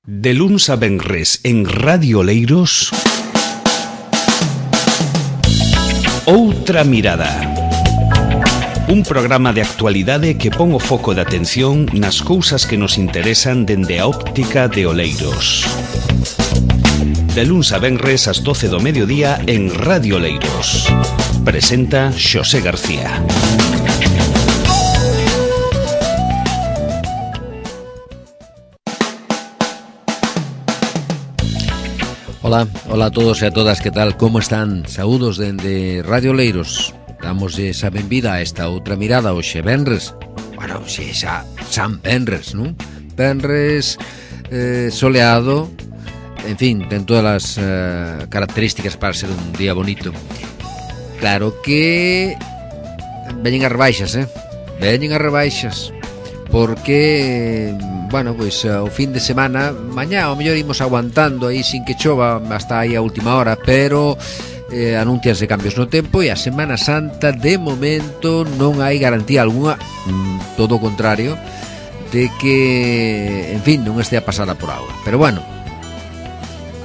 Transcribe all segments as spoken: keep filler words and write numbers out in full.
De luns a venres en Radio Oleiros, Outra Mirada. Un programa de actualidade que pon o foco de atención nas cousas que nos interesan dende a óptica de Oleiros. De luns a venres ás doce do mediodía en Radio Oleiros. Presenta Xosé García. Hola, hola a todos e a todas, que tal, como están? Saúdos dende Radio Oleiros. Damos esa benvida a esta outra mirada hoxe venres. Bueno, xe xa San Venres, non? Venres eh, soleado, en fin, ten todas as eh, características para ser un día bonito. Claro que veñen as rebaixas, eh? Veñen as rebaixas, porque, bueno, pois o fin de semana, mañá ao mellor imos aguantando aí sin que chova hasta aí a última hora, pero eh, anuncianse cambios no tempo e a Semana Santa de momento non hai garantía algunha, mm, todo o contrario, de que, en fin, non estea pasada por auga. Pero bueno,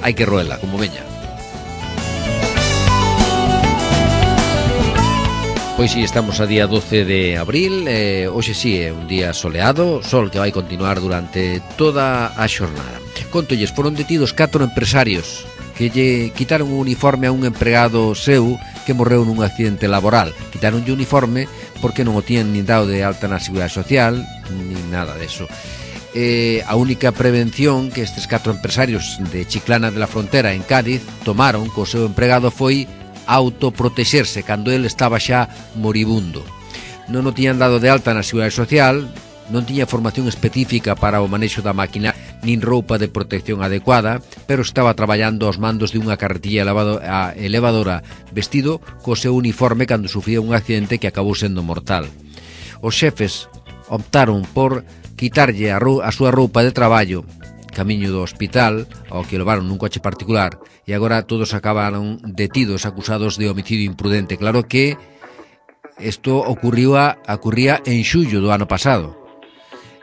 hai que roela como veña. Pois si, estamos a día doce de abril, eh, hoxe si é un día soleado, sol que vai continuar durante toda a xornada. Contolles, foron detidos catro empresarios que lle quitaron o uniforme a un empregado seu que morreu nun accidente laboral. Quitaronlle o uniforme porque non o tiñan nin dado de alta na Seguridade Social, nin nada deso. Eh, a única prevención que estes catro empresarios de Chiclana de la Frontera en Cádiz tomaron co seu empregado foi autoprotexerse cando ele estaba xa moribundo. Non o tiñan dado de alta na Seguridade Social, non tiña formación específica para o manexo da máquina, nin roupa de protección adecuada, pero estaba traballando aos mandos de unha carretilla elevadora vestido co seu uniforme cando sufría un accidente que acabou sendo mortal. Os xefes optaron por quitarlle a, a súa roupa de traballo camiño do hospital, ao que levaron nun coche particular, e agora todos acabaron detidos, acusados de homicidio imprudente. Claro que isto ocurría, ocurría en xullo do ano pasado.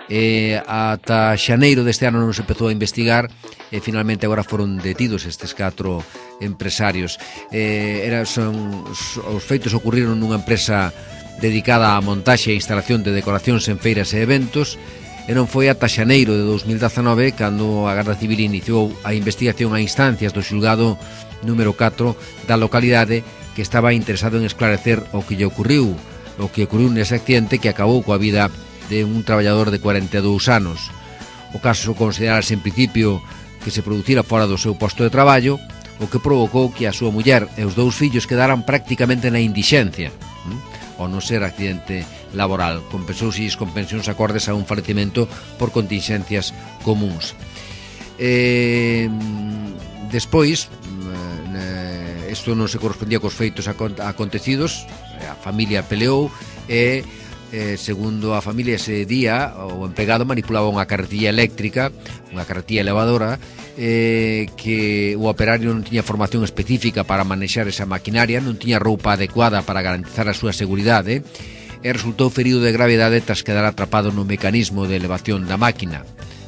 E ata xaneiro deste ano non se empezou a investigar e finalmente agora foron detidos estes catro empresarios. Eh, era, son, os feitos ocurriron nunha empresa dedicada á montaxe e instalación de decoracións en feiras e eventos, e non foi ata xaneiro de dos mil dezanove cando a Garda Civil iniciou a investigación a instancias do xulgado número catro da localidade, que estaba interesado en esclarecer o que lle ocurriu, o que ocurriu nese accidente que acabou coa vida de un traballador de cuarenta e dous anos. O caso considerarse en principio que se producira fora do seu posto de traballo, o que provocou que a súa muller e os dous fillos quedaran prácticamente na indixencia, ao non ser accidente laboral. Compensouse con pensións acordes a un falecemento por contingencias comuns. Eh, despois, isto non se correspondía cos feitos acontecidos, a familia peleou e, eh, segundo a familia, ese día o empregado manipulaba unha carretilla eléctrica, unha carretilla elevadora, eh, que o operario non tiña formación específica para manexar esa maquinaria, non tiña roupa adecuada para garantizar a súa seguridade, e resultou ferido de gravedade tras quedar atrapado no mecanismo de elevación da máquina,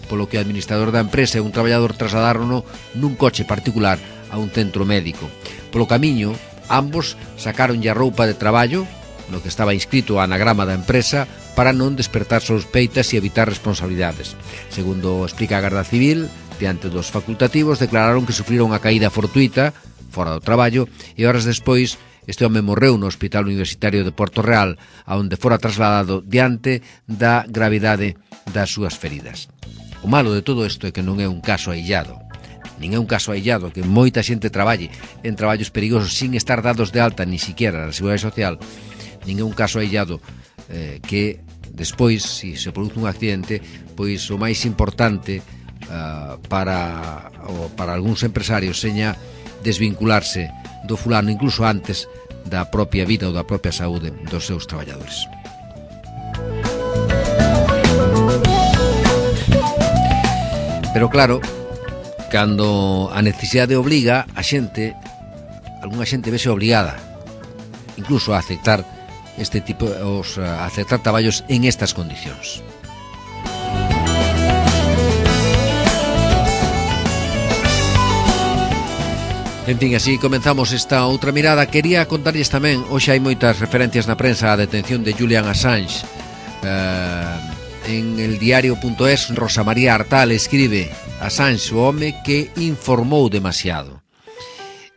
polo que o administrador da empresa e un traballador trasladarono nun coche particular a un centro médico. Polo camiño, ambos sacaronlle a roupa de traballo, no que estaba inscrito o anagrama da empresa, para non despertar sospeitas e evitar responsabilidades. Segundo explica a Garda Civil, diante dos facultativos declararon que sufriron unha caída fortuita fora do traballo e horas despois este home morreu no Hospital Universitario de Porto Real, aonde fora trasladado diante da gravidade das súas feridas. O malo de todo isto é que non é un caso aillado. Nin é un caso aillado que moita xente traballe en traballos perigosos sin estar dados de alta ni siquiera na Seguridade Social. Nin é un caso aillado eh, que despois, se se produce un accidente, pois o máis importante uh, para, o, para algúns empresarios seña desvincularse do fulano incluso antes da propia vida ou da propia saúde dos seus traballadores. Pero claro, cando a necesidade obliga, a xente, algunha xente vese obligada incluso a aceptar este tipo, os, a aceptar traballos en estas condicións. En fin, así comenzamos esta outra mirada. Quería contarlles tamén, hoxe hai moitas referencias na prensa á detención de Julian Assange. uh, En el diario punto es, Rosa María Artal escribe: Assange, o home que informou demasiado.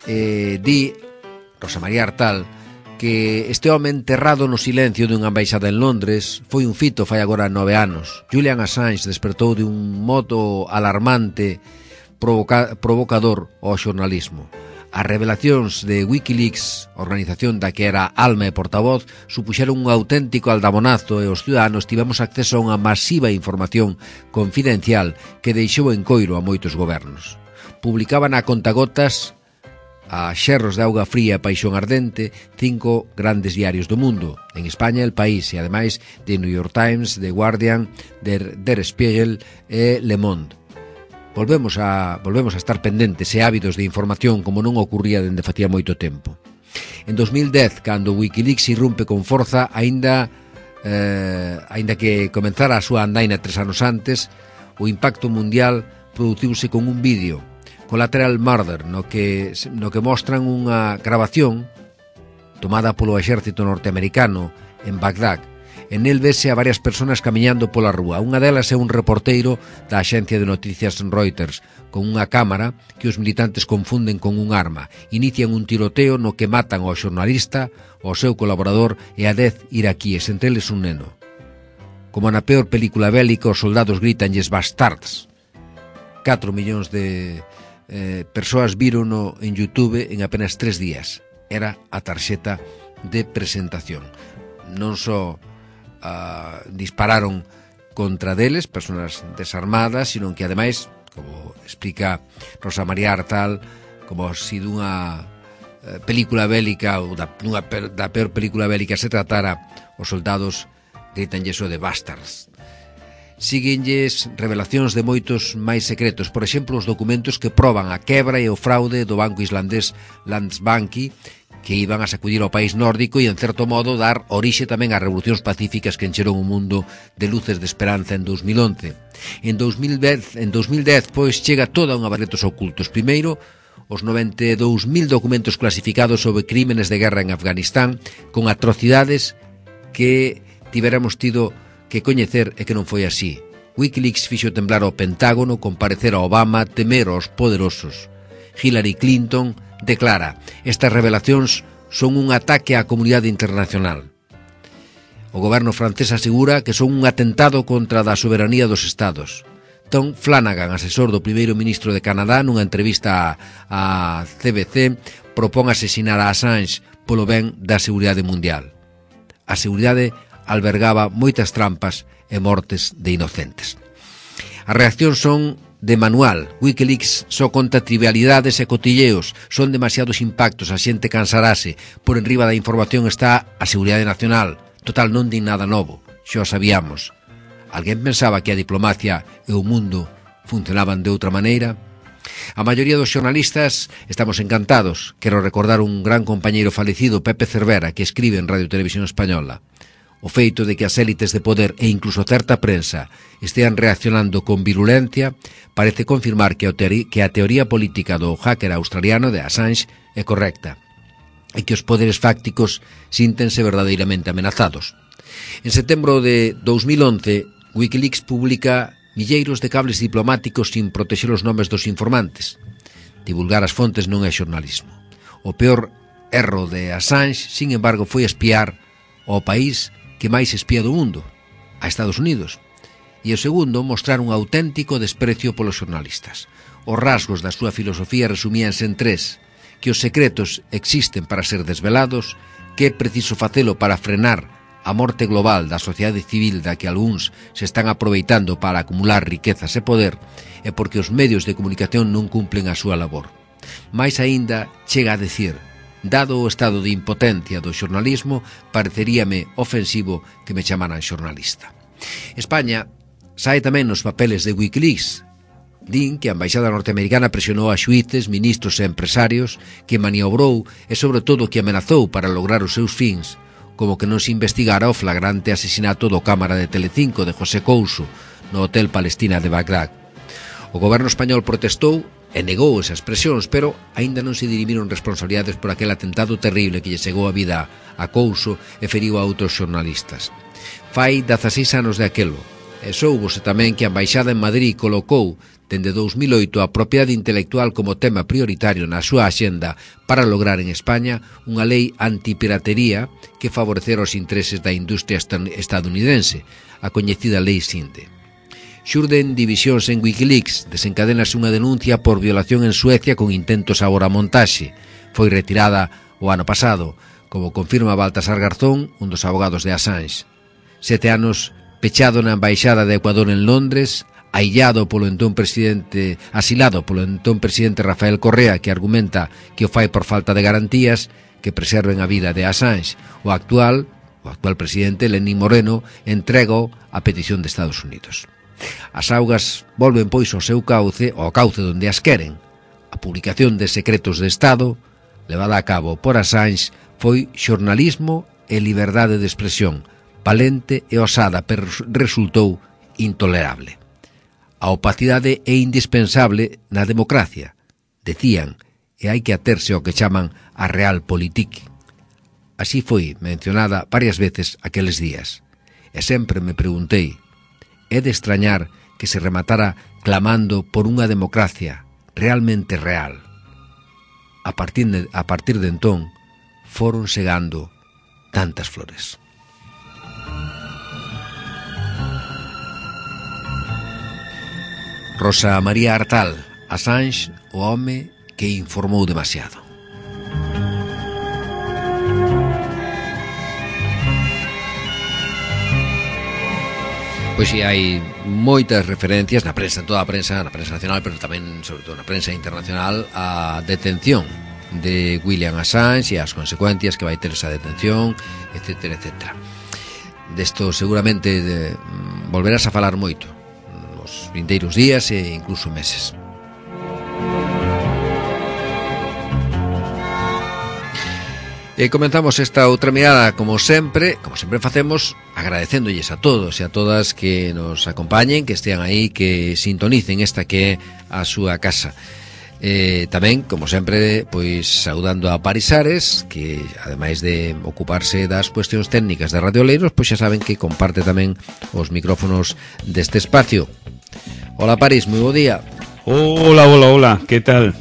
eh, Di Rosa María Artal que este home enterrado no silencio dunha embaixada en Londres foi un fito fai agora nove anos. Julian Assange despertou de un modo alarmante, provoca, provocador ao xornalismo. As revelacións de Wikileaks, organización da que era alma e portavoz, supuxeron un auténtico aldamonazo e os ciudadanos tivemos acceso a unha masiva información confidencial que deixou en coiro a moitos gobernos. Publicaban a contagotas, a xerros de auga fría e paixón ardente, cinco grandes diarios do mundo, en España El País e ademais de New York Times, The Guardian, Der, Der Spiegel e Le Monde. Volvemos a, volvemos a estar pendentes e ávidos de información como non ocurría dende facía moito tempo. En dos mil dez, cando Wikileaks irrumpe con forza, aínda, eh, aínda que comenzara a súa andaina tres anos antes, o impacto mundial produciuse con un vídeo, Collateral Murder, no que, no que mostran unha grabación tomada polo exército norteamericano en Bagdad. En el vese a varias personas camiñando pola rúa. Unha delas é un reporteiro da axencia de noticias Reuters, con unha cámara que os militantes confunden con un arma. Inician un tiroteo no que matan ao xornalista, ao seu colaborador e a dez iraquíes, entre eles un neno. Como na peor película bélica, os soldados gritanlles bastards. catro millóns de eh, persoas vírono en YouTube en apenas tres días. Era a tarxeta de presentación. Non só Uh, dispararon contra deles, persoas desarmadas, sino que ademais, como explica Rosa María Artal, como se dunha uh, película bélica ou da, dunha, da peor película bélica se tratara, os soldados gritanlle eso de bastards. Síguenlles revelacións de moitos máis secretos, por exemplo, os documentos que proban a quebra e o fraude do banco islandés Landsbanki, que iban a sacudir ao país nórdico e, en certo modo, dar orixe tamén ás revolucións pacíficas que encheron o mundo de luces de esperanza en dos mil once. En dos mil dez, en dos mil dez pois, chega toda unha variedade de ocultos. Primeiro, os noventa e dous mil documentos clasificados sobre crímenes de guerra en Afganistán, con atrocidades que tiveramos tido que coñecer e que non foi así. Wikileaks fixo temblar ao Pentágono, comparecer a Obama, temer aos poderosos. Hillary Clinton declara: estas revelacións son un ataque á comunidade internacional. O goberno francés asegura que son un atentado contra a soberanía dos estados. Tom Flanagan, asesor do primeiro ministro de Canadá, nunha entrevista a, a C B C, propón asesinar a Assange polo ben da seguridade mundial. A seguridade albergaba moitas trampas e mortes de inocentes. As reaccións son de manual. Wikileaks só conta trivialidades e cotilleos, son demasiados impactos, a xente cansarase. Por enriba da información está a seguridade nacional. Total, non din nada novo, xa o sabíamos. Alguén pensaba que a diplomacia e o mundo funcionaban de outra maneira? A maioría dos xornalistas estamos encantados. Quero recordar un gran compañeiro falecido, Pepe Cervera, que escribe en Radio Televisión Española. O feito de que as élites de poder e incluso certa prensa estean reaccionando con virulencia parece confirmar que a, teoría, que a teoría política do hacker australiano de Assange é correcta e que os poderes fácticos síntense verdadeiramente amenazados. En setembro de dos mil once, Wikileaks publica milleiros de cables diplomáticos sin protexer os nomes dos informantes. Divulgar as fontes non é xornalismo. O peor erro de Assange, sin embargo, foi espiar ao país que máis espía do mundo, a Estados Unidos. E o segundo, mostrar un auténtico desprecio polos xornalistas. Os rasgos da súa filosofía resumíanse en tres: que os secretos existen para ser desvelados, que é preciso facelo para frenar a morte global da sociedade civil da que algúns se están aproveitando para acumular riquezas e poder, e porque os medios de comunicación non cumplen a súa labor. Mais aínda chega a decir: dado o estado de impotencia do xornalismo, pareceríame ofensivo que me chamaran xornalista. España sae tamén nos papeles de Wikileaks. Din que a embaixada norteamericana presionou a xuíces, ministros e empresarios, que maniobrou e, sobre todo, que amenazou para lograr os seus fins, como que non se investigara o flagrante asesinato do cámara de Telecinco de José Couso no Hotel Palestina de Bagdad. O goberno español protestou e negou esas expresións, pero aínda non se dirimiron responsabilidades por aquel atentado terrible que lle chegou a vida a Couso e feriu a outros xornalistas. Fai dezaseis anos de aquelo, e soubose tamén que a Embaixada en Madrid colocou dende dous mil oito a propiedade intelectual como tema prioritario na súa axenda para lograr en España unha lei antipiratería que favorecera os intereses da industria estadounidense, a coñecida Lei Sinde. Xurden divisións en Wikileaks, desencadenase unha denuncia por violación en Suecia con intentos agora a montaxe. Foi retirada o ano pasado, como confirma Baltasar Garzón, un dos abogados de Assange. Sete anos pechado na Embaixada de Ecuador en Londres, aillado polo entón presidente, asilado polo entón presidente Rafael Correa, que argumenta que o fai por falta de garantías que preserven a vida de Assange. O actual, o actual presidente Lenín Moreno entrega a petición de Estados Unidos. As augas volven pois ao seu cauce, ao cauce onde as queren. A publicación de secretos de Estado, levada a cabo por Assange, foi xornalismo e liberdade de expresión, valente e osada, pero resultou intolerable. A opacidade é indispensable na democracia, decían, e hai que aterse ao que chaman a realpolitik. Así foi mencionada varias veces aqueles días, e sempre me preguntei, é de extrañar que se rematara clamando por unha democracia realmente real. A partir de, a partir de entón, foron segando tantas flores. Rosa María Artal, Assange, o home que informou demasiado. Pois si hai moitas referencias na prensa, en toda a prensa, na prensa nacional, pero tamén, sobre todo, na prensa internacional, a detención de William Assange e as consecuencias que vai ter esa detención, etcétera, etcétera. Desto seguramente de, volverás a falar moito nos vindeiros días e incluso meses. E comenzamos esta outra mirada, como sempre, como sempre facemos, agradecéndolles a todos e a todas que nos acompañen, que estean aí, que sintonicen esta que é a súa casa. Eh, tamén, como sempre, pois saudando a Paris Ares, que ademais de ocuparse das cuestións técnicas de Radio Oleiros, pois xa saben que comparte tamén os micrófonos deste espacio. Hola Paris, moi bo día. Hola, hola, hola, que tal?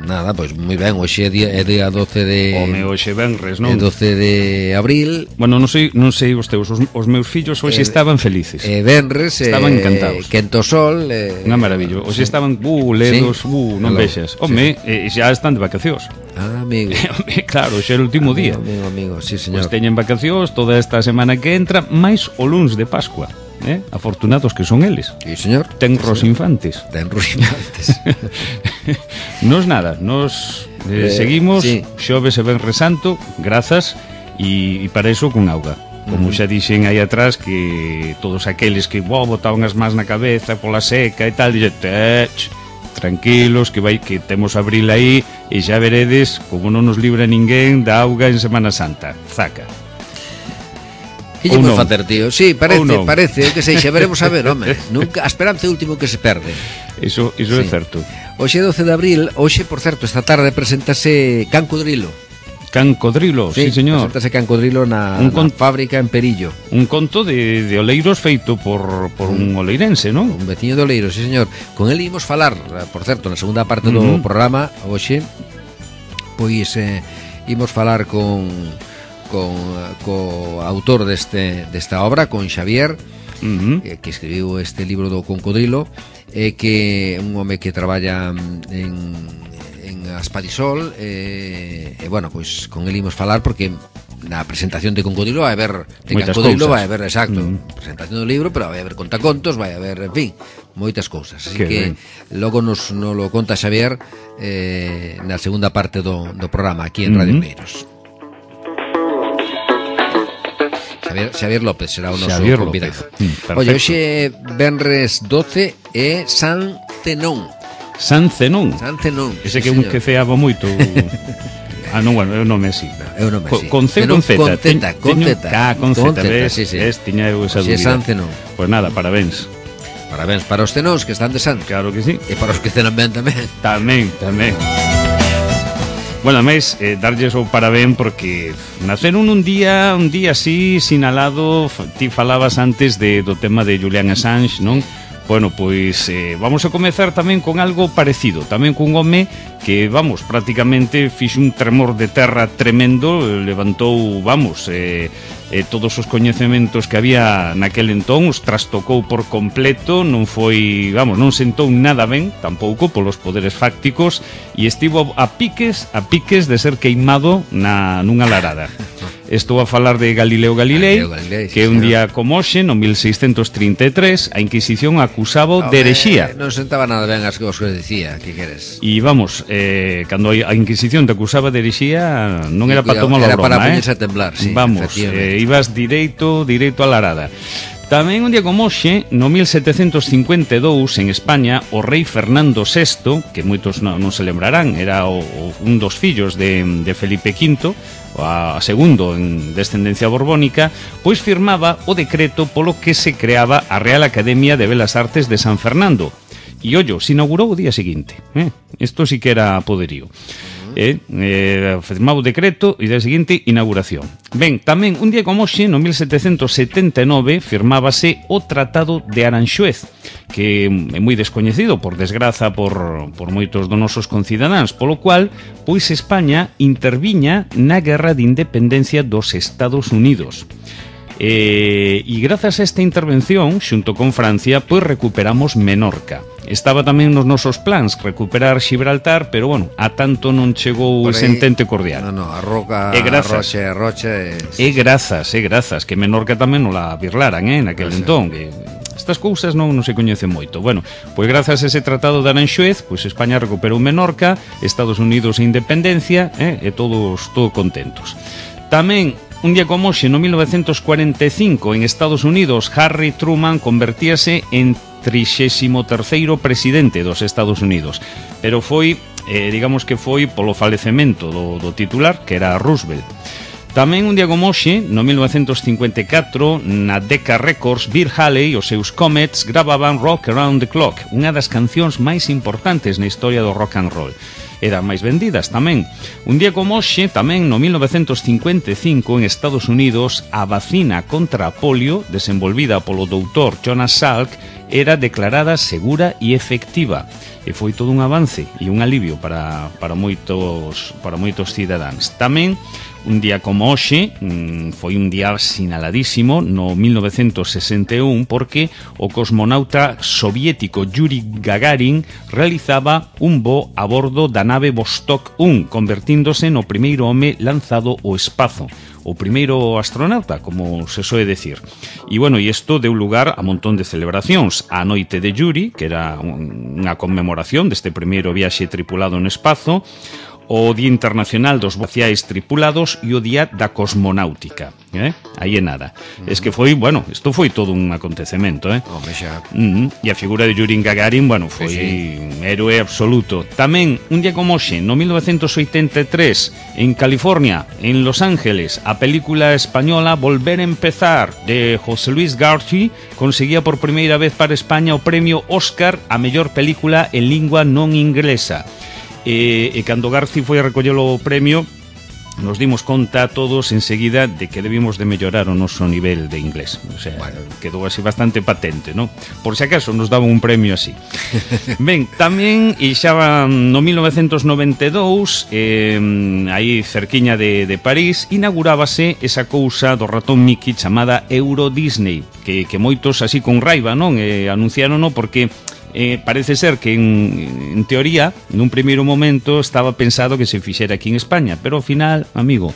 Nada, pois moi ben, hoxe é día, é día doce de... Home, hoxe venres, non? É doce de abril. Bueno, non sei, non sei os teus, os, os meus fillos hoxe eh, estaban felices. Eh, venres, estaban eh, encantados. Quento sol. Eh, Unha maravilla. Hoxe sí. Estaban, uh, ledos, sí. uh, non Hello. Vexas. Home, sí. eh, xa están de vacacións. Ah, amigo. Home, claro, hoxe é o último amigo, día. Amigo, amigo, sí, señor. Pois teñen vacacións toda esta semana que entra, máis o luns de Pascua. Eh? Afortunados que son eles. Sí, señor. Tenros sí. infantes. Tenros infantes. Nos nada, nos eh, eh, seguimos sí. Xoves e Venres Santo, grazas, e, e para iso con auga. Como uh -huh. xa dixen aí atrás, que todos aqueles que wow, botaban as mans na cabeza pola seca e tal, dixen, tech, tranquilos, que vai que temos abril aí, e xa veredes como non nos libra ninguén da auga en Semana Santa. Zaca. Que lle vou facer, tío? Sí, parece, parece, que sei, xa veremos a ver, home. Nunca, a esperanza é o último que se perde. Iso, iso sí. É certo. Hoxe é doce de abril, hoxe, por certo, esta tarde presentase Can Codrilo. Can Codrilo, sí, sí señor. Presentase Can Codrilo na, un con... na fábrica en Perillo. Un conto de, de Oleiros feito por, por un, un oleirense, non? Un veciño de Oleiros, sí, señor. Con el imos falar, por certo, na segunda parte do uh -huh. programa, hoxe, pois eh, imos falar con... con co autor deste desta obra, con Xavier, uh -huh. eh, que escribiu este libro do Concodrilo, eh, que é un home que traballa en, en Aspadisol, e eh, eh, bueno, pois con el imos falar porque na presentación de Concodrilo vai haber de Concodrilo vai haber, exacto, uh -huh. presentación do libro, pero vai haber contacontos, vai haber, en fin, moitas cousas. Así que, que logo nos, nos lo conta Xavier eh, na segunda parte do, do programa aquí en Radio Oleiros. Uh -huh. Xavier, Xavier López será o noso Xavier convidado. Mm, oye, hoxe venres doce é San Zenón. San Zenón. San Zenón. Ese sí, que un que ceaba moito. Ah, non, bueno, é o nome así. É o nome así. Con C, con Z. Con Z, con Z. Ah, con Z, ves, sí, sí. Ves, tiña eu esa dúbida. San Zenón. Pois nada, parabéns. Parabéns para os cenóns que están de santo. Claro que sí. E para os que cenan ben tamén. Tamén, tamén. Bueno, máis, eh, darlles o parabén porque naceron un día, un día así, sinalado. Ti falabas antes de, do tema de Julian Assange, non? Bueno, pois eh, vamos a comezar tamén con algo parecido, tamén cun home que, vamos, prácticamente fixo un tremor de terra tremendo, levantou, vamos, eh, eh, todos os coñecementos que había naquel entón, os trastocou por completo, non foi, vamos, non sentou nada ben, tampouco polos poderes fácticos, e estivo a piques, a piques de ser queimado na, nunha larada. Estou a falar de Galileo Galilei, Galileo Galilei sí, que un día como hoxe, no mil seiscentos trinta e tres, a Inquisición acusaba de herexía. Non sentaba nada ben as cousas que dicía, que queres? E vamos, eh, cando a Inquisición te acusaba de herexía, non era para tomar a broma, era para poñerse eh? a temblar, sí. Vamos, eh, ibas direito, direito a larada. Tamén un día como hoxe, no mil setecentos cincuenta e dous, en España, o rei Fernando sexto, que moitos non, non se lembrarán, era o, o, un dos fillos de, de Felipe quinto, a segundo en descendencia borbónica, pois firmaba o decreto polo que se creaba a Real Academia de Belas Artes de San Fernando. E ollo, se inaugurou o día seguinte. Eh? Isto sí que era poderío. Eh, eh, firmaba o decreto e día seguinte inauguración. Ben, tamén un día como hoxe, no mil setecentos setenta e nove, firmábase o Tratado de Aranxuez, que é moi descoñecido, por desgraza, por, por moitos dos nosos concidadáns, polo cual, pois España interviña na guerra de independencia dos Estados Unidos. Eh, e grazas a esta intervención, xunto con Francia, pois recuperamos Menorca. Estaba tamén nos nosos plans recuperar Gibraltar, pero bueno, a tanto non chegou ese entente cordial. No, no, a roca, a roche, a roche... E grazas, e grazas, que Menorca tamén non la birlaran, eh, naquel entón, que... Estas cousas non, non se coñecen moito. Bueno, pois grazas a ese tratado de Aranxuez, pois España recuperou Menorca, Estados Unidos a independencia, eh, e todos todos contentos. Tamén un día como hoxe, no mil novecentos cuarenta e cinco, en Estados Unidos, Harry Truman convertíase en trixésimo terceiro presidente dos Estados Unidos, pero foi, eh, digamos que foi polo falecemento do, do titular, que era Roosevelt. Tamén un día como hoxe, no mil novecentos cincuenta e catro, na Decca Records, Bill Haley e os seus Comets gravaban Rock Around the Clock, unha das cancións máis importantes na historia do rock and roll. E das máis vendidas tamén. Un día como hoxe, tamén no mil novecentos cincuenta e cinco, en Estados Unidos, a vacina contra a polio, desenvolvida polo doutor Jonas Salk, era declarada segura e efectiva. E foi todo un avance e un alivio para, para, moitos, para moitos cidadáns. Tamén, un día como hoxe, foi un día sinaladísimo no mil novecentos sesenta e un, porque o cosmonauta soviético Yuri Gagarin realizaba un voo a bordo da nave Vostok un, convertíndose no primeiro home lanzado ao espazo, o primeiro astronauta, como se soe decir. E, bueno, e isto deu lugar a montón de celebracións. A noite de Yuri, que era unha conmemoración deste primeiro viaxe tripulado no espazo, o Día Internacional dos Espaciais Tripulados e o Día da Cosmonáutica, eh? Aí é nada. Uh-huh. Es que foi, bueno, isto foi todo un acontecemento, eh? Home, xa. Uh-huh. E a figura de Yuri Gagarin, bueno, foi sí, sí. héroe absoluto. Tamén, un día como hoxe, no mil novecentos oitenta e tres, en California, en Los Ángeles, a película española Volver a Empezar, de José Luis García, conseguía por primeira vez para España o premio Óscar a mellor película en lingua non inglesa. E, e cando Garci foi a recoller o premio, nos dimos conta todos enseguida de que debimos de mellorar o noso nivel de inglés. O sea, bueno, quedou así bastante patente, ¿no? Por si acaso nos daban un premio así. Ben, tamén, e xa no mil novecentos noventa e dous, eh, aí cerquiña de, de París, inaugurábase esa cousa do ratón Mickey chamada Euro Disney, que, que moitos así con raiva, non? Eh, anunciárono porque... Eh, parece ser que en, en teoría nun primeiro momento estaba pensado que se fixera aquí en España, pero ao final, amigo,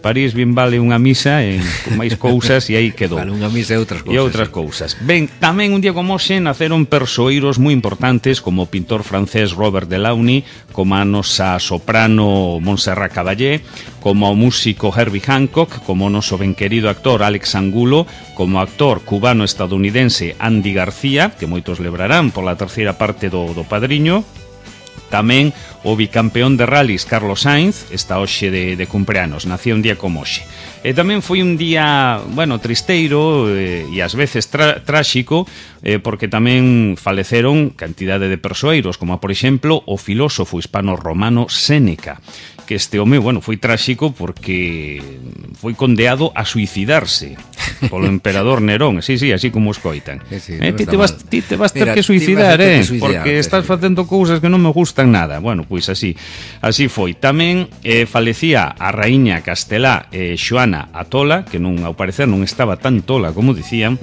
París bien vale unha misa e con máis cousas e aí quedou. Vale unha misa e outras cousas. E outras cousas. Ben, tamén un día como hoxe naceron persoeiros moi importantes como o pintor francés Robert Delaunay, como a nosa soprano Montserrat Caballé, como o músico Herbie Hancock, como o noso ben querido actor Alex Angulo, como o actor cubano-estadounidense Andy García, que moitos lembrarán pola terceira parte do, do Padriño, Tamén o bicampeón de rallies Carlos Sainz está hoxe de, de cumpleanos, nacía un día como hoxe. E tamén foi un día, bueno, tristeiro eh, e ás veces tra tráxico, eh, porque tamén faleceron cantidade de persoeiros, como por exemplo o filósofo hispano-romano Séneca, que este home, bueno, foi tráxico porque foi condeado a suicidarse polo emperador Nerón, sí, sí, así como escoitan. Sí, sí, eh, no ti, te vas, ti te vas ter Mira, que suicidar, eh, que suicidar, porque estás sí. facendo cousas que non me gustan nada. Bueno, pois así, así foi. Tamén eh, falecía a raíña castelá eh, Xoana a tola, que non, ao parecer non estaba tan tola como dicían.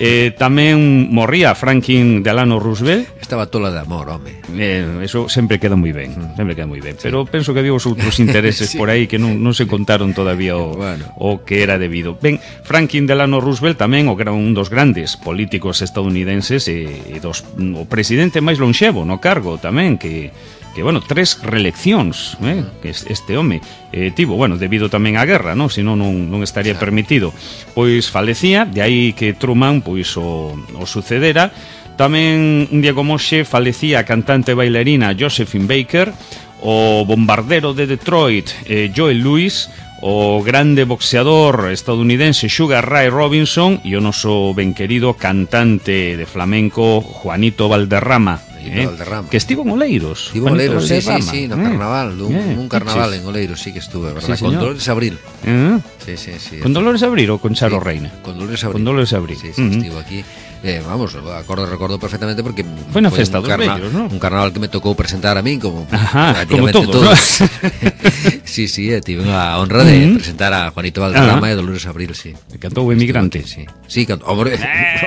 eh, tamén morría Franklin Delano Roosevelt. Estaba tola de amor, home. Eh, eso sempre queda moi ben, sempre queda moi ben. Pero penso que había os outros intereses Sí. por aí que non, non se contaron todavía o, Bueno. o que era debido. Ben, Franklin Delano Roosevelt tamén o era un dos grandes políticos estadounidenses e, e dos, o presidente máis lonxevo no cargo tamén, que que, bueno, tres reeleccións, eh, que este home eh, tivo, bueno, debido tamén á guerra, non? Senón non, non estaría Claro. permitido. Pois falecía, de aí que Truman pois o, o sucedera. Tamén un día como hoxe falecía a cantante e bailarina Josephine Baker, o bombardero de Detroit eh, Joel Lewis, o grande boxeador estadounidense Sugar Ray Robinson e o noso ben querido cantante de flamenco Juanito Valderrama, eh, Valderrama. que estivo en Oleiros. Estivo en Oleiros, sí, sí, Valderrama, sí, no eh. carnaval, un, Eh, un carnaval piches. en Oleiros sí que estuve, verdad, Sí, con señor. Dolores Abril. Eh? Sí, sí, sí. Con Dolores Abril ou con Charo Sí, Reina? Con Dolores Abril. Con Dolores Abril. Sí, sí, Uh-huh. estivo aquí. Eh, vamos, acordo, recordo perfectamente porque Foi na foi festa un, dos carna vellos, ¿no? un carnaval que me tocou presentar a min como Ajá, prácticamente como todos, todos. Sí, sí, eh, tive a honra de Uh-huh. presentar a Juanito Valderrama Ajá. e Dolores Abril, sí. Cantou o Emigrante. Sí, sí, cantou, hombre,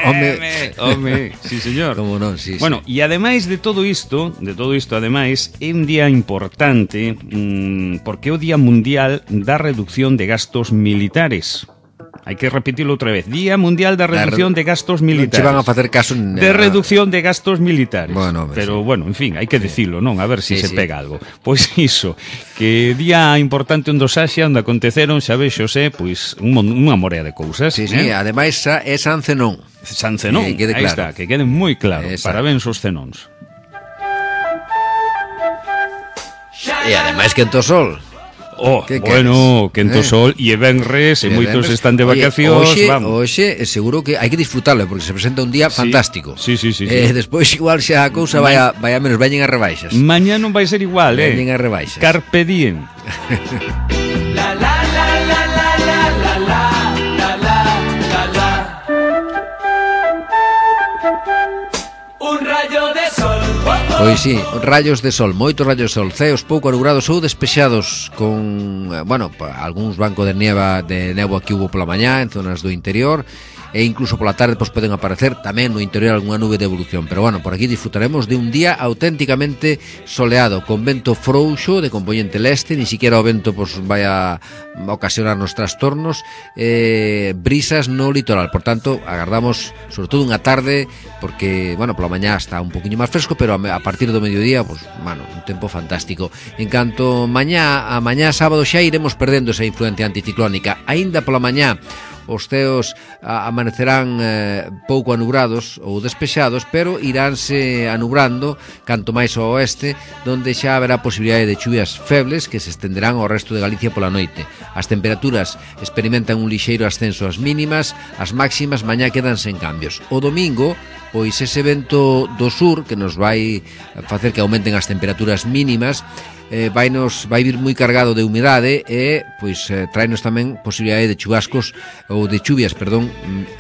Home, home, sí, señor. como non, sí, Bueno, e ademais de todo isto, de todo isto, ademais, é un día importante mmm, porque é o Día Mundial da Reducción de Gastos Militares. Hai que repetirlo outra vez. Día Mundial da Reducción de Gastos Non Militares. che van a facer caso en, De reducción de gastos militares. Bueno, hombre, pero sí. bueno, en fin, hai que decirlo, non? A ver se Sí, si se sí. pega algo. Pois iso, que día importante onde Saxa, onde aconteceron, xa vexos, eh, pois un, mon- unha morea de cousas. Sí, sí, eh? ademais sa- é San Zenón. San Zenón, Que quede aí claro. está, que quede moi claro. Exacto. Parabéns aos cenóns. E ademais que ento sol. Oh, Que bueno, queres? quento Eh? sol e venres, e E moitos venres. están de Oye, vacacións, hoxe, vamos. Hoxe, eh, seguro que hai que disfrutarlo porque se presenta un día Sí. fantástico. Sí, sí, sí, sí. Eh, despois igual xa a cousa vai a, vai a menos, veñen as rebaixas. Mañá non vai ser igual, eh. Veñen as rebaixas. Carpe diem. Un rayo de sol. Oh, oh. Pois sí, rayos de sol, moitos rayos de sol, ceos pouco anubrados ou despexados con, eh, bueno, pa- algúns bancos de nieva de néboa que hubo pola mañá en zonas do interior e incluso pola tarde pois poden aparecer tamén no interior algunha nube de evolución, pero bueno, por aquí disfrutaremos de un día auténticamente soleado, con vento frouxo de componente leste, ni siquiera o vento pois vai a ocasionarnos trastornos, eh, brisas no litoral, por tanto, agardamos sobre todo unha tarde, porque, bueno, pola mañá está un poquinho máis fresco, pero a, a partir do mediodía, pois, bueno, un tempo fantástico. En canto mañá, a mañá sábado xa iremos perdendo esa influencia anticiclónica, aínda pola mañá os ceos a, amanecerán eh, pouco anubrados ou despexados, pero iránse anubrando canto máis ao oeste, donde xa haberá posibilidade de chuvias febles que se estenderán ao resto de Galicia pola noite. As temperaturas experimentan un lixeiro ascenso ás mínimas, as máximas mañá quedan sen cambios. O domingo, pois ese vento do sur que nos vai facer que aumenten as temperaturas mínimas, eh, vai, nos, vai vir moi cargado de humidade e pois eh, traenos tamén posibilidade de chubascos ou de chuvias, perdón,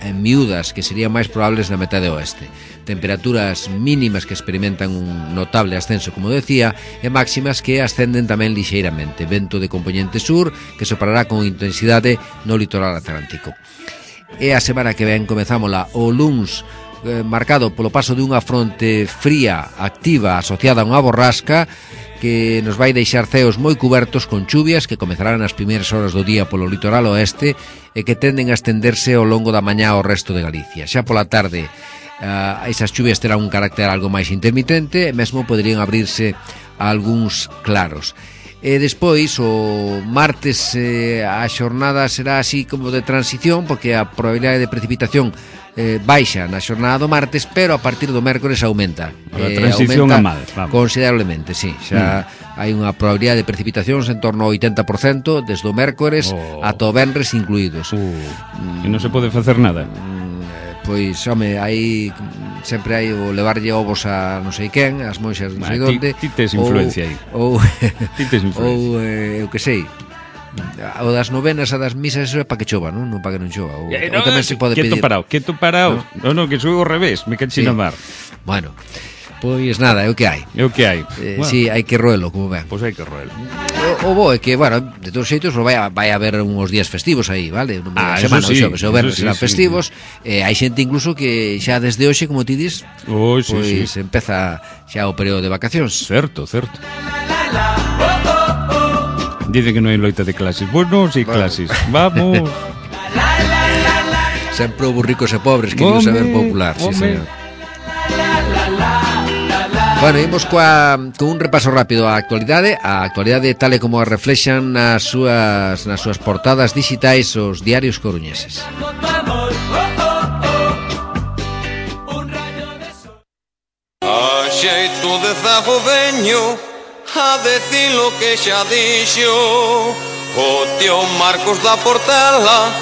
en miúdas que serían máis probables na metade oeste. Temperaturas mínimas que experimentan un notable ascenso, como decía, e máximas que ascenden tamén lixeiramente. Vento de componente sur que soprará con intensidade no litoral atlántico. E a semana que ven comezámola o luns, eh, marcado polo paso dunha fronte fría activa asociada a unha borrasca que nos vai deixar ceos moi cubertos con chuvias que comezarán nas primeiras horas do día polo litoral oeste e que tenden a estenderse ao longo da mañá ao resto de Galicia. Xa pola tarde, uh, esas chuvias terán un carácter algo máis intermitente e mesmo poderían abrirse algúns claros. E despois, o martes, eh, a xornada será así como de transición, porque a probabilidade de precipitación eh, baixa na xornada do martes, pero a partir do mércores aumenta. A eh, transición aumenta a mal, vamos. Considerablemente, sí. Xa mm. hai unha probabilidade de precipitacións en torno ao oitenta por cento desde o mércores oh. ata o venres incluídos. Uh, mm. E non se pode facer nada. Mm, pois, home, hai sempre hai o levarlle ovos a non sei quen, as monxas non sei ah, onde. Ti, ti tes influencia aí. Ou ti tes influencia. Ou eh, eu que sei. O das novenas, a das misas, eso é para que chova, non? Non para que non chova. Ou, eh, no, ou tamén se pode quieto pedir. Parado, quieto parado. Non, non, no, que sou ao revés, me cachi sí. na mar. Bueno, pois nada, é o que hai. É o que hai. Eh, bueno. Si, sí, hai que roelo, como ven. Pois hai que roelo. O, o bo é que, bueno, de todos xeitos vai a, vai a haber uns días festivos aí, vale? Ah, semana, eso sí, o xoves, o verdes sí, serán sí, festivos. Sí. Eh, hai xente incluso que xa desde hoxe, como ti dis, oh, sí, pois sí. empeza xa o período de vacacións. Certo, certo. Dice que non hai loita de clases. Bueno, si bueno. clases. Vamos. Sempre houve ricos e pobres, que digo saber popular, sí, señor. Bueno, imos coa, con un repaso rápido á actualidade. A actualidade tal e como a reflexan nas súas, nas súas portadas digitais os diarios coruñeses. A xeito de zago veño a decir lo que xa dixo o tío Marcos da Portela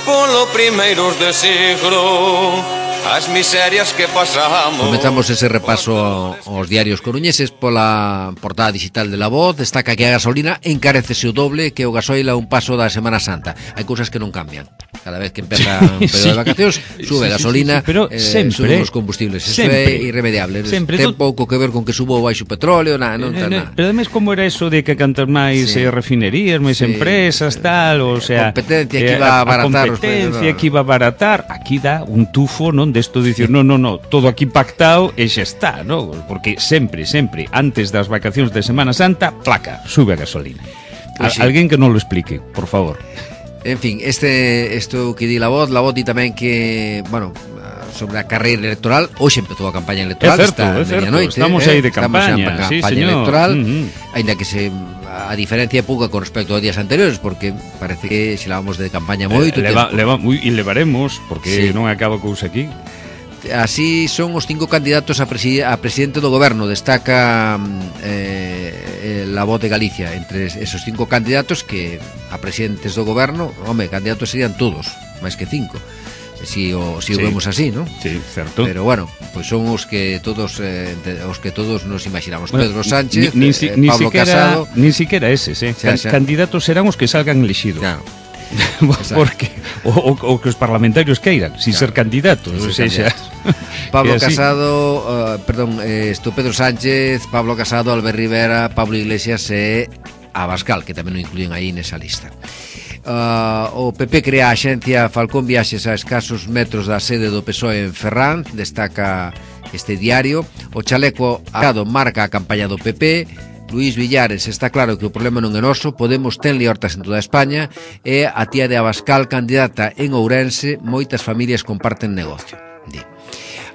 polo primeiros de siglo. As miserias que pasamos. Comenzamos ese repaso aos diarios coruñeses pola portada digital de La Voz. Destaca que a gasolina encarecese o doble que o gasoil a un paso da Semana Santa. Hai cousas que non cambian. Cada vez que empeza un período sí, de vacacións sube a gasolina, sí, sí, sí, pero eh, sempre, suben os combustibles. Eso é irremediable. Sempre, ten pouco que ver con que subo baixo o petróleo, nada, non ten nada. Pero además como era eso de que cantar máis sí. refinerías, máis sí. empresas, tal, o sea, competencia que iba a abaratar, a competencia que iba a abaratar, aquí dá un tufo, non, desto de dicir, no, no, no, todo aquí pactado e xa está, no? Porque sempre, sempre, antes das vacacións de Semana Santa, placa, sube a gasolina. Pues sí. Alguén que non lo explique, por favor. En fin, este isto que di La Voz, La Voz di tamén que, bueno, sobre a carreira electoral, hoxe empezou a campaña electoral, é certo, está é certo, noite, estamos eh, aí de campaña, estamos sí, campaña señor. electoral, uh-huh. Ainda que se a diferencia é pouca con respecto aos días anteriores, porque parece que se lavamos de campaña moito eh, leva, leva, e levaremos, porque sí. non acaba cousa aquí. Así son os cinco candidatos a, presi a presidente do goberno. Destaca eh, La Voz de Galicia. Entre esos cinco candidatos que a presidentes do goberno, home, candidatos serían todos, máis que cinco, si o, si sí. o vemos así, ¿no? Sí, certo. Pero bueno, pues son os que todos eh, os que todos nos imaginamos. Bueno, Pedro Sánchez, ni, ni, eh, ni Pablo siquiera, Casado. Ni siquiera eses, eh. Xa, xa. Candidatos serán os que salgan elexidos. Claro. Porque o, o, o que os parlamentarios queiran, sin claro. ser candidatos, o sea, xa. Pablo Casado, uh, perdón, eh, esto Pedro Sánchez, Pablo Casado, Albert Rivera, Pablo Iglesias e Abascal, que tamén o incluyen aí nesa lista. Uh, o P P crea a axencia Falcón Viaxes a escasos metros da sede do P S O E en Ferrán, destaca este diario. O chaleco arado marca a campaña do P P. Luís Villares, está claro que o problema non é noso, Podemos ten liortas en toda España e a tía de Abascal, candidata en Ourense, moitas familias comparten negocio. Di.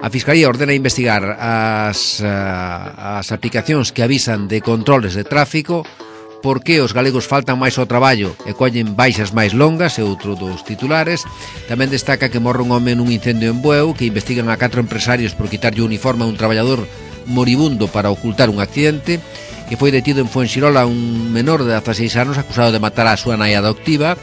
A Fiscalía ordena investigar as, uh, as aplicacións que avisan de controles de tráfico, por que os galegos faltan máis ao traballo e collen baixas máis longas, é outro dos titulares. Tamén destaca que morre un home nun incendio en Bueu, que investigan a catro empresarios por quitarlle o uniforme a un traballador moribundo para ocultar un accidente, que foi detido en Fuenxirola un menor de dezaseis anos acusado de matar a súa nai adoptiva,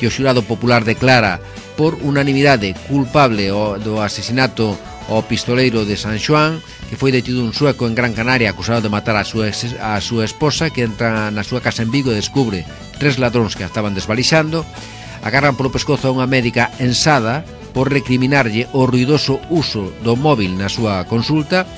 que o xurado popular declara por unanimidade culpable do asesinato ao pistoleiro de San Xoán, que foi detido un sueco en Gran Canaria acusado de matar a súa, a súa esposa, que entra na súa casa en Vigo e descubre tres ladróns que a estaban desvalixando. Agarran polo pescozo a unha médica ensada por recriminarlle o ruidoso uso do móvil na súa consulta.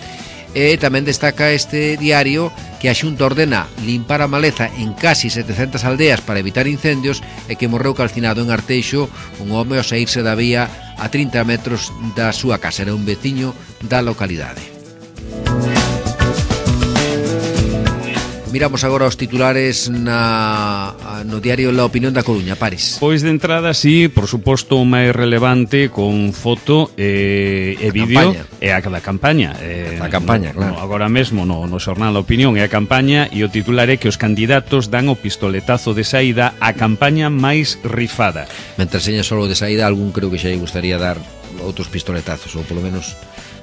E tamén destaca este diario que a Xunta ordena limpar a maleza en casi setecentas aldeas para evitar incendios e que morreu calcinado en Arteixo un home ao saírse da vía a trinta metros da súa casa. Era un veciño da localidade. Miramos agora os titulares na, no diario La Opinión da Coruña, Paris. Pois de entrada, sí, por suposto, o máis relevante con foto e, e vídeo é a da campaña. Eh, a campaña, no, claro. No, agora mesmo no, no xornal La Opinión é a campaña e o titular é que os candidatos dan o pistoletazo de saída á campaña máis rifada. Mentre seña solo de saída, algún creo que xa lle gustaría dar outros pistoletazos, ou polo menos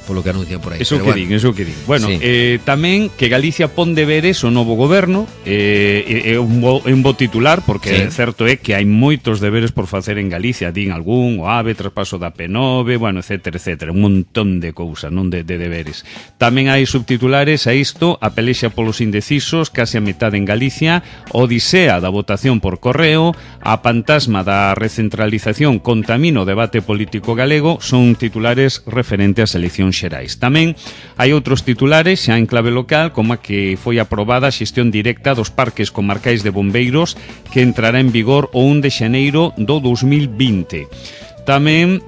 polo que anuncian por aí. Eso que bueno. din, eso que din. Bueno, sí. eh, tamén que Galicia pon deberes o novo goberno, eh, é un bo, un bo titular, porque sí. certo é que hai moitos deberes por facer en Galicia, din algún, o AVE, traspaso da P nove, bueno, etcétera, etcétera, un montón de cousas, non de, de deberes. Tamén hai subtitulares a isto, a pelexa polos indecisos, case a metade en Galicia, odisea da votación por correo, a fantasma da recentralización contamina o debate político galego, son titulares referentes ás eleccións xerais. Tamén hai outros titulares xa en clave local, como a que foi aprobada a xestión directa dos parques comarcais de bombeiros que entrará en vigor o un de xaneiro do dous mil vinte. Tamén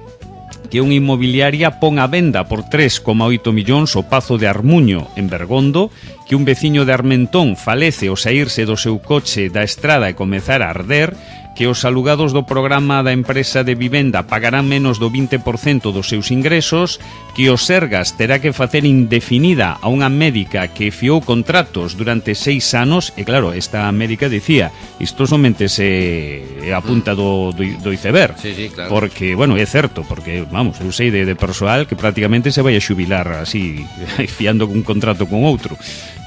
que unha inmobiliaria pon a venda por tres coma oito millóns o Pazo de Armuño en Bergondo, que un veciño de Armentón falece ao saírse do seu coche da estrada e comezar a arder, que os alugados do programa da empresa de vivenda pagarán menos do vinte por cento dos seus ingresos, que o Sergas terá que facer indefinida a unha médica que fiou contratos durante seis anos, e claro, esta médica dicía, isto somente se a punta do, do, do iceberg, sí, sí, claro. Porque, bueno, é certo, porque, vamos, eu sei de, de persoal que prácticamente se vai a xubilar así, fiando un contrato con outro.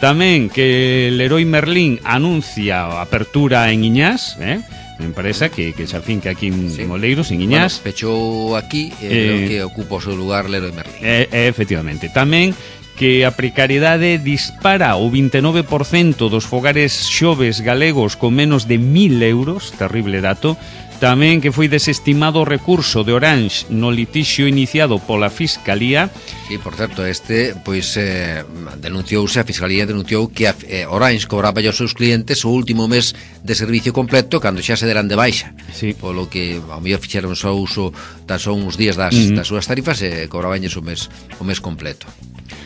Tamén que Leroy Merlin anuncia a apertura en Iñás, eh? Empresa que, que se afinca aquí en, sí. en Oleiros, en Iñás. Bueno, pechou aquí, eh, eh, que ocupa o seu lugar Leroy Merlin. Eh, eh, efectivamente. Tamén que a precariedade dispara o vinte e nove por cento dos fogares xoves galegos con menos de mil euros, terrible dato. Tamén que foi desestimado o recurso de Orange no litixio iniciado pola Fiscalía. Sí, por certo, este, pois, eh, denunciouse, a Fiscalía denunciou que a, eh, Orange cobraba aos seus clientes o último mes de servicio completo cando xa se deran de baixa. Sí. Polo que, ao mellor, fixeron só uso tan só uns días das, uh-huh. das súas tarifas e cobrabanlles o mes, o mes completo.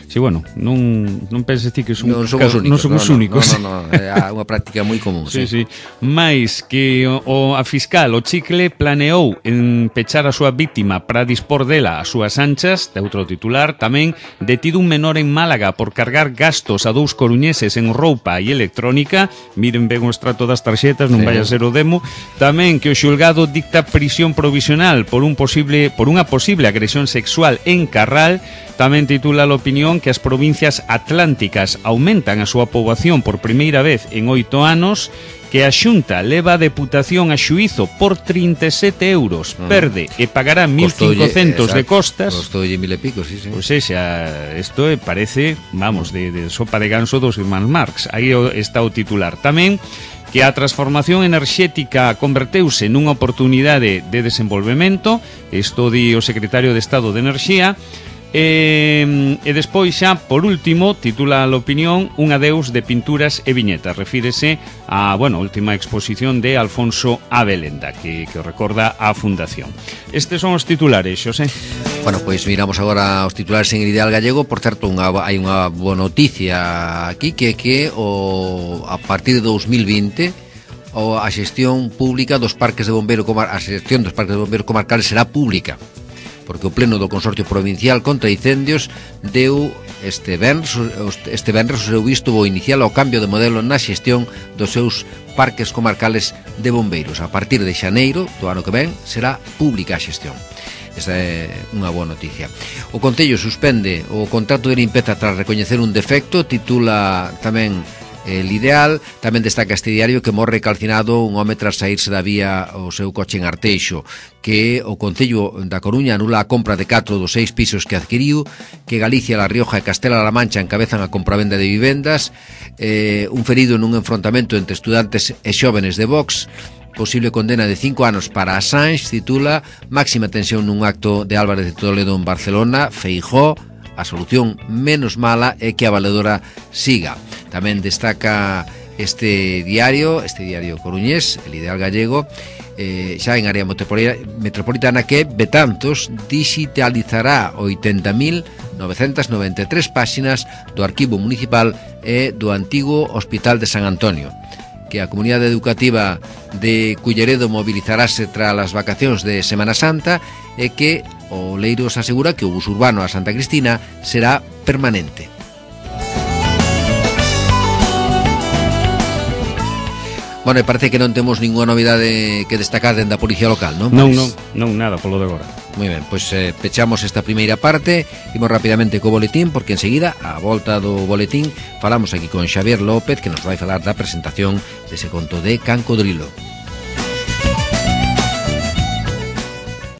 Sí, bueno, non, non penses ti que son non somos únicos, non somos no, únicos. No, no, no, é unha práctica moi común. Sí, sí, sí. Mais que o, o a fiscal, o Chicle, planeou en pechar a súa víctima para dispor dela as súas anchas, de outro titular. Tamén detido un menor en Málaga por cargar gastos a dous coruñeses en roupa e electrónica. Miren ben o extrato das tarxetas, non sí. vai a ser o demo. Tamén que o xulgado dicta prisión provisional por un posible por unha posible agresión sexual en Carral. Tamén titula a opinión que as provincias atlánticas aumentan a súa poboación por primeira vez en oito anos, que a Xunta leva a Deputación a xuízo por trinta e sete euros, uh-huh. perde e pagará mil cincocentos de costas. Costoulle mil e pico, sí, sí. Pois xa, isto parece, vamos, de, de sopa de ganso dos irmáns Marx. Aí está o titular. Tamén que a transformación enerxética converteuse nunha oportunidade de desenvolvemento, isto di o secretario de Estado de Enerxía. E, e despois xa, por último, titula a opinión un adeus de pinturas e viñetas. Refírese a, bueno, última exposición de Alfonso Abelenda, que, que recorda a Fundación. Estes son os titulares, Xosé. Bueno, pois miramos agora os titulares en Ideal Gallego. Por certo, unha, hai unha boa noticia aquí, que que o, a partir de dous mil vinte o, a xestión pública dos parques de bombeiro comar, a xestión dos parques de bombeiro comarcales será pública, porque o Pleno do Consorcio Provincial contra Incendios deu este venres, este venres o seu visto bo inicial ao cambio de modelo na xestión dos seus parques comarcales de bombeiros. A partir de xaneiro do ano que ven será pública a xestión. Esa é unha boa noticia. O Concello suspende o contrato de limpeza tras recoñecer un defecto, titula tamén El Ideal. Tamén destaca este diario que morre calcinado un home tras saírse da vía o seu coche en Arteixo, que o Concello da Coruña anula a compra de catro dos seis pisos que adquiriu, que Galicia, La Rioja e Castela-La Mancha encabezan a compravenda de vivendas, eh, un ferido nun enfrontamento entre estudantes e xóvenes de Vox, posible condena de cinco anos para Assange, titula máxima tensión nun acto de Álvarez de Toledo en Barcelona, Feijóo, a solución menos mala é que a valedora siga. Tamén destaca este diario, este diario coruñés, El Ideal Gallego, eh, xa en área metropolitana, que Betanzos digitalizará oitenta mil novecentas noventa e tres páxinas do arquivo municipal e do antigo Hospital de San Antonio, que a comunidade educativa de Culleredo mobilizarase tras as vacacións de Semana Santa e que o Leiros asegura que o bus urbano a Santa Cristina será permanente. Bueno, e parece que non temos ninguna novidade que destacar dende a Policía Local, non? Non, non, non, nada, polo de agora. Moi ben, pois eh, pechamos esta primeira parte. Imos rapidamente co boletín, porque enseguida, a volta do boletín, falamos aquí con Xavier López, que nos vai falar da presentación dese conto de Cancodrilo.